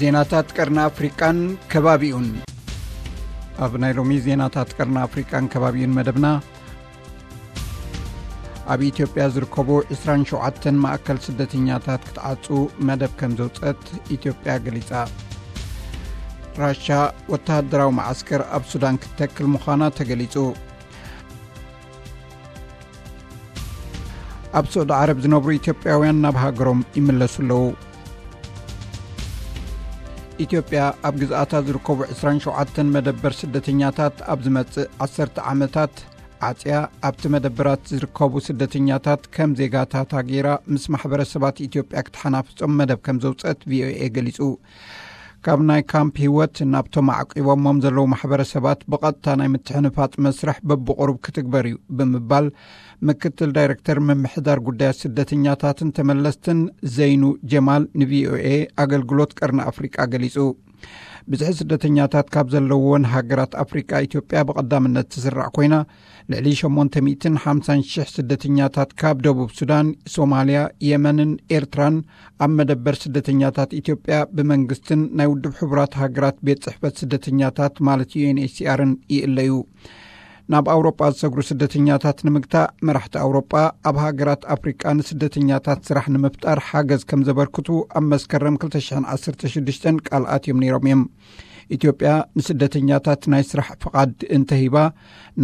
ዜናታት ቀርኒ ኣፍሪቃን ከባቢኡን። ኣብ ናይ ሎሚ ዜናታት ቀርኒ ኣፍሪቃን ከባቢኡን መደብና፣ ኣብ ኢትዮጵያ ዝርከቡ ዕስራን ሸውዓተን ማእከል ስደተኛታት ክትዓጹ መደብ ከም ዘውጸት ኢትዮጵያ ገሊጻ። ራሻ ወተሃደራዊ መዓስከር ኣብ ሱዳን ክትተክል ምዃና ተገሊጹ። ኣብ ስዑዲ ዓረብ ዝነብሩ ኢትዮጵያውያን ናብ ሃገሮም ይምለሱ ኣለዉ። ኢትዮጵያ ኣብ ግዝኣታ ዝርከቡ ዕስራን ሸውዓተን መደበር ስደተኛታት ኣብ ዝመጽእ ዓሰርተ ዓመታት ዓጽያ ኣብቲ መደበራት ዝርከቡ ስደተኛታት ከም ዜጋታታ ገይራ ምስ ማሕበረሰባት ኢትዮጵያ ክትሓናፍጾም መደብ ከም ዘውጸት ቪኦኤ ገሊጹ። ካብ ናይ ካምፕ ህይወት ናብቶም ኣዕቂቦሞም ዘለዉ ማሕበረሰባት ብቐጥታ ናይ ምትሕንፋጽ መስርሕ በብቑሩብ ክትግበር እዩ ብምባል ምክትል ዳይሬክተር ምምሕዳር ጉዳያት ስደተኛታትን ተመለስትን ዘይኑ ጀማል ንቪኦኤ ኣገልግሎት ቀርኒ ኣፍሪቃ ገሊጹ። ብዝሒ ስደተኛታት ካብ ዘለዎን ሃገራት ኣፍሪቃ ኢትዮጵያ ብቐዳምነት ትስራዕ ኮይና፣ ልዕሊ ሸሞንተ ሚእትን ሓምሳን ሽሕ ስደተኛታት ካብ ደቡብ ሱዳን፣ ሶማልያ፣ የመንን ኤርትራን ኣብ መደበር ስደተኛታት ኢትዮጵያ ብመንግስትን ናይ ውድብ ሕቡራት ሃገራት ቤት ጽሕፈት ስደተኛታት ማለት ዩ ኤን ኤች ሲ ኣርን ይእለዩ። ናብ ኣውሮጳ ዝሰግሩ ስደተኛታት ንምግታእ መራሕቲ ኣውሮጳ ኣብ ሃገራት ኣፍሪቃ ንስደተኛታት ስራሕ ንምፍጣር ሓገዝ ከም ዘበርክቱ ኣብ መስከረም ክልተ ሽሕን ዓሰርተ ሽዱሽተን ቃል ኣትዮም ነይሮም እዮም። ኢትዮጵያ ንስደተኛታት ናይ ስራሕ ፍቓድ እንተሂባ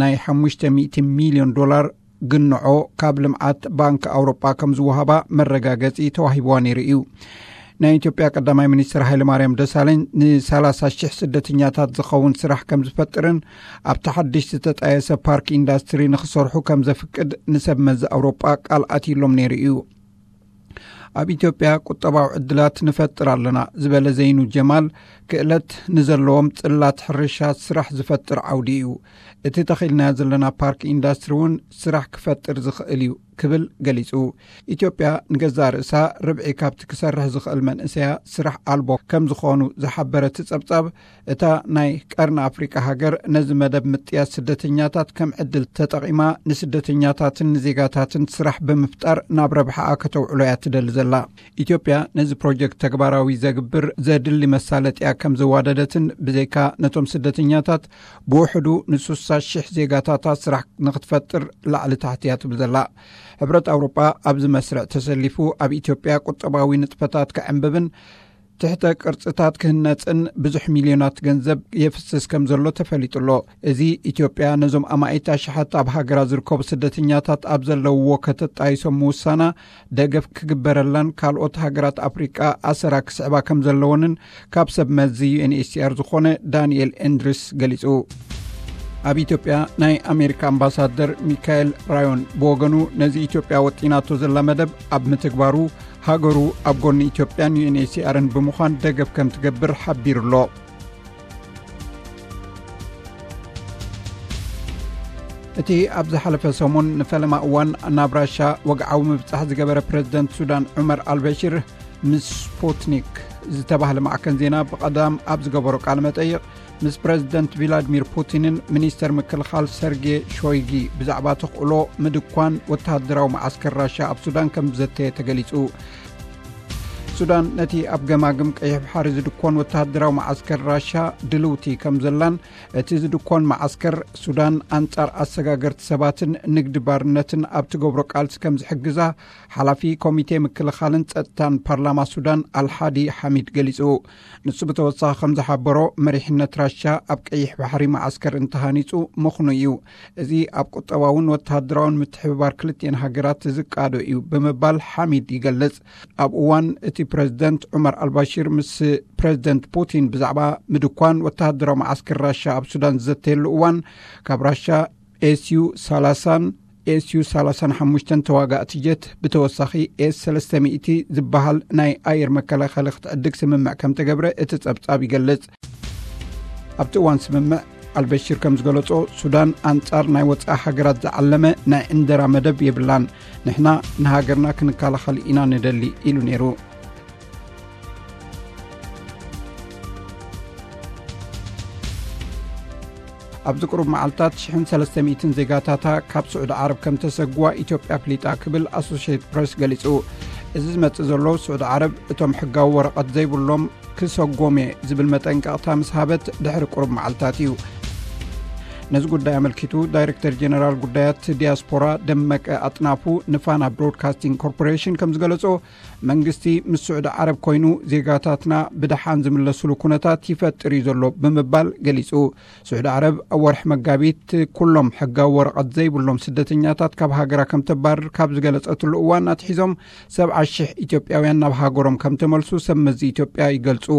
ናይ ሓሙሽተ ሚእቲ ሚልዮን ዶላር ግንዖ ካብ ልምዓት ባንክ ኣውሮጳ ከም ዝወሃባ መረጋገጺ ተዋሂብዋ ነይሩ እዩ። ናይ ኢትዮጵያ ቀዳማይ ሚኒስትር ሃይለማርያም ደሳለኝ ንሰላሳ ሽሕ ስደተኛታት ዝኸውን ስራሕ ከም ዝፈጥርን ኣብቲ ሓድሽ ዝተጣየሰ ፓርክ ኢንዳስትሪ ንኽሰርሑ ከም ዘፍቅድ ንሰብ መዚ ኣውሮጳ ቃል ኣትይሎም ነይሩ እዩ። ኣብ ኢትዮጵያ ቁጠባዊ ዕድላት ንፈጥር ኣለና ዝበለ ዘይኑ ጀማል፣ ክእለት ንዘለዎም ጽላት ሕርሻ ስራሕ ዝፈጥር ዓውዲ እዩ። እቲ ተኺልናዮ ዘለና ፓርክ ኢንዳስትሪ እውን ስራሕ ክፈጥር ዝኽእል እዩ ክብል ገሊጹ። ኢትዮጵያ ንገዛእ ርእሳ ርብዒ ካብቲ ክሰርሕ ዝኽእል መንእሰያ ስራሕ ኣልቦ ከም ዝኾኑ ዝሓበረ እቲ ጸብጻብ፣ እታ ናይ ቀርኒ ኣፍሪቃ ሃገር ነዚ መደብ ምጥያስ ስደተኛታት ከም ዕድል ተጠቒማ ንስደተኛታትን ንዜጋታትን ስራሕ ብምፍጣር ናብ ረብሓኣ ከተውዕሎ እያ ትደሊ ዘላ። ኢትዮጵያ ነዚ ፕሮጀክት ተግባራዊ ዘግብር ዘድሊ መሳለጥያ ከም ዘዋደደትን ብዘይካ ነቶም ስደተኛታት ብውሕዱ ንስሳ ሽሕ ዜጋታታ ስራሕ ንክትፈጥር ላዕሊ ታሕቲ እያ ትብል ዘላ። ሕብረት ኣውሮጳ ኣብዚ መስርዕ ተሰሊፉ ኣብ ኢትዮጵያ ቁጠባዊ ንጥፈታት ክዕንብብን ትሕተ ቅርጽታት ክህነጽን ብዙሕ ሚልዮናት ገንዘብ የፍስስ ከም ዘሎ ተፈሊጡ ኣሎ። እዚ ኢትዮጵያ ነዞም ኣማኢት ኣሽሓት ኣብ ሃገራ ዝርከቡ ስደተኛታት ኣብ ዘለውዎ ከተጣይሶም ምውሳና ደገፍ ክግበረላን ካልኦት ሃገራት ኣፍሪቃ ኣሰራ ክስዕባ ከም ዘለወንን ካብ ሰብ መዚ ዩ ኤን ኤች ሲ ኣር ዝኾነ ዳንኤል ኤንድሪስ ገሊጹ። ኣብ ኢትዮጵያ ናይ ኣሜሪካ ኣምባሳደር ሚካኤል ራዮን ብወገኑ ነዚ ኢትዮጵያ ወጢናቶ ዘላ መደብ ኣብ ምትግባሩ ሃገሩ ኣብ ጎኒ ኢትዮጵያን ዩ ኤን ኤች ሲ ኣርን ብምዃን ደገፍ ከም ትገብር ሓቢሩ ኣሎ። እቲ ኣብ ዝሓለፈ ሰሙን ንፈለማ እዋን ናብ ራሻ ወግዓዊ ምብጻሕ ዝገበረ ፕረዚደንት ሱዳን ዑመር ኣልበሽር ምስ ስፑትኒክ ዝተባህለ ማዕከን ዜና ብቐዳም ኣብ ዝገበሮ ቃለ መጠይቕ፣ ምስ ፕረዚደንት ቪላድሚር ፑቲንን ሚኒስተር ምክልኻል ሰርጌ ሾይጊ ብዛዕባ ተኽእሎ ምድኳን ወተሃደራዊ መዓስከር ራሻ ኣብ ሱዳን ከም ዘተየ ተገሊጹ። ሱዳን ነቲ ኣብ ገማግም ቀይሕ ባሕሪ ዝድኮን ወተሃደራዊ መዓስከር ራሻ ድልውቲ ከም ዘላን፣ እቲ ዝድኮን መዓስከር ሱዳን ኣንጻር ኣሰጋገርቲ ሰባትን ንግዲ ባርነትን ኣብ ትገብሮ ቃልሲ ከም ዝሕግዛ ሓላፊ ኮሚቴ ምክልኻልን ጸጥታን ፓርላማ ሱዳን ኣልሓዲ ሓሚድ ገሊጹ። ንሱ ብተወሳኺ ከም ዝሓበሮ፣ መሪሕነት ራሻ ኣብ ቀይሕ ባሕሪ መዓስከር እንተሃኒጹ ምኽኑ እዩ። እዚ ኣብ ቁጠባውን ወተሃደራውን ምትሕብባር ክልቲኤን ሃገራት ዝቃዶ እዩ ብምባል ሓሚድ ይገልጽ። ኣብ እዋን እቲ ፕረዚደንት ዑመር ኣልባሽር ምስ ፕረዚደንት ፑቲን ብዛዕባ ምድኳን ወተሃደራዊ መዓስከር ራሻ ኣብ ሱዳን ዝዘተየሉ እዋን፣ ካብ ራሻ ኤስዩ ሰላሳን ኤስዩ ሰላሳን ሓሙሽተን ተዋጋእቲ ጀት ብተወሳኺ ኤስ ሰለስተ ሚእቲ ዝበሃል ናይ ኣየር መከላኸሊ ክትዕድግ ስምምዕ ከም ተገብረ እቲ ጸብጻብ ይገልጽ። ኣብቲ እዋን ስምምዕ ኣልበሽር ከም ዝገለጾ፣ ሱዳን ኣንጻር ናይ ወጻኢ ሃገራት ዝዓለመ ናይ ዕንደራ መደብ የብላን። ንሕና ንሃገርና ክንከላኸል ኢና ንደሊ ኢሉ ነይሩ። ኣብዚ ቁሩብ መዓልታት ሽሕን ሰለስተ ሚእትን ዜጋታታ ካብ ስዑዲ ዓረብ ከም ተሰግዋ ኢትዮጵያ ኣፍሊጣ ክብል ኣሶሽየትድ ፕረስ ገሊጹ። እዚ ዝመጽእ ዘሎ፣ ስዑዲ ዓረብ እቶም ሕጋዊ ወረቐት ዘይብሎም ክሰጎም እየ ዝብል መጠንቀቕታ ምስ ሃበት ድሕሪ ቁሩብ መዓልታት እዩ። ነዚ ጉዳይ ኣመልኪቱ፣ ዳይሬክተር ጀነራል ጉዳያት ዲያስፖራ ደመቀ ኣጥናፉ ንፋና ብሮድካስቲንግ ኮርፖሬሽን ከም ዝገለጾ፣ መንግስቲ ምስ ስዑዲ ዓረብ ኮይኑ ዜጋታትና ብደሓን ዝምለስሉ ኩነታት ይፈጥር እዩ ዘሎ ብምባል ገሊጹ። ስዑዲ ዓረብ ኣብ ወርሒ መጋቢት ኩሎም ሕጋዊ ወረቐት ዘይብሎም ስደተኛታት ካብ ሃገራ ከም ተባርር ካብ ዝገለጸትሉ እዋን ኣትሒዞም ሰብዓ ሽሕ ኢትዮጵያውያን ናብ ሃገሮም ከም ተመልሱ ሰብ መዚ ኢትዮጵያ ይገልጹ።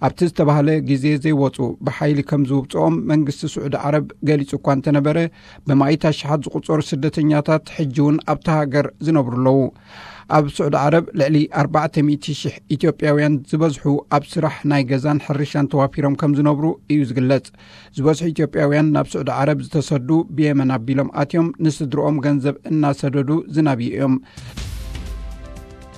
ኣብቲ ዝተባህለ ግዜ ዘይወጹ ብሓይሊ ከም ዝውብጽኦም መንግስቲ ስዑዲ ዓረብ ገሊጹ እኳ እንተነበረ፣ ብማኢት ኣሽሓት ዝቑጸሩ ስደተኛታት ሕጂ እውን ኣብታ ሃገር ዝነብሩ ኣለዉ። ኣብ ስዑዲ ዓረብ ልዕሊ ኣርባዕተ ሚእቲ ሽሕ ኢትዮጵያውያን ዝበዝሑ ኣብ ስራሕ ናይ ገዛን ሕርሻን ተዋፊሮም ከም ዝነብሩ እዩ ዝግለጽ። ዝበዝሑ ኢትዮጵያውያን ናብ ስዑዲ ዓረብ ዝተሰዱ ብየመን ኣቢሎም ኣትዮም ንስድርኦም ገንዘብ እናሰደዱ ዝናብዩ እዮም።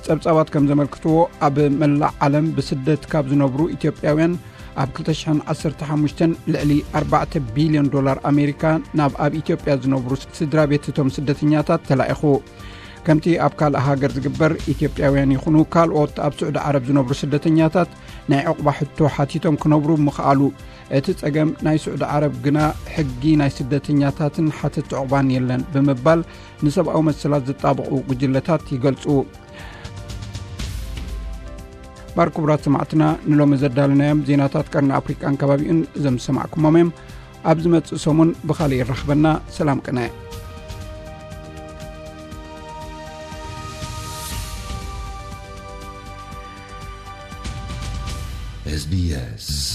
ጸብጻባት ከም ዘመልክትዎ፣ ኣብ መላእ ዓለም ብስደት ካብ ዝነብሩ ኢትዮጵያውያን ኣብ ክልተ ሽሕን ዓሰርተ ሓሙሽተን ልዕሊ ኣርባዕተ ቢልዮን ዶላር ኣሜሪካ ናብ ኣብ ኢትዮጵያ ዝነብሩ ስድራ ቤት እቶም ስደተኛታት ተላኢኹ። ከምቲ ኣብ ካልእ ሃገር ዝግበር፣ ኢትዮጵያውያን ይኹኑ ካልኦት ኣብ ስዑዲ ዓረብ ዝነብሩ ስደተኛታት ናይ ዕቑባ ሕቶ ሓቲቶም ክነብሩ ምኽኣሉ፣ እቲ ጸገም ናይ ስዑዲ ዓረብ ግና ሕጊ ናይ ስደተኛታትን ሓተቲ ዕቑባን የለን ብምባል ንሰብኣዊ መሰላት ዝጣበቑ ጉጅለታት ይገልጹ። ባር ክቡራት ሰማዕትና፣ ንሎሚ ዘዳለናዮም ዜናታት ቀርኒ ኣፍሪቃን ከባቢኡን እዞም ዝሰማዕኩሞም እዮም። ኣብ ዝመጽእ ሰሙን ብኻልእ ይራኽበና። ሰላም ቅነ። S B S.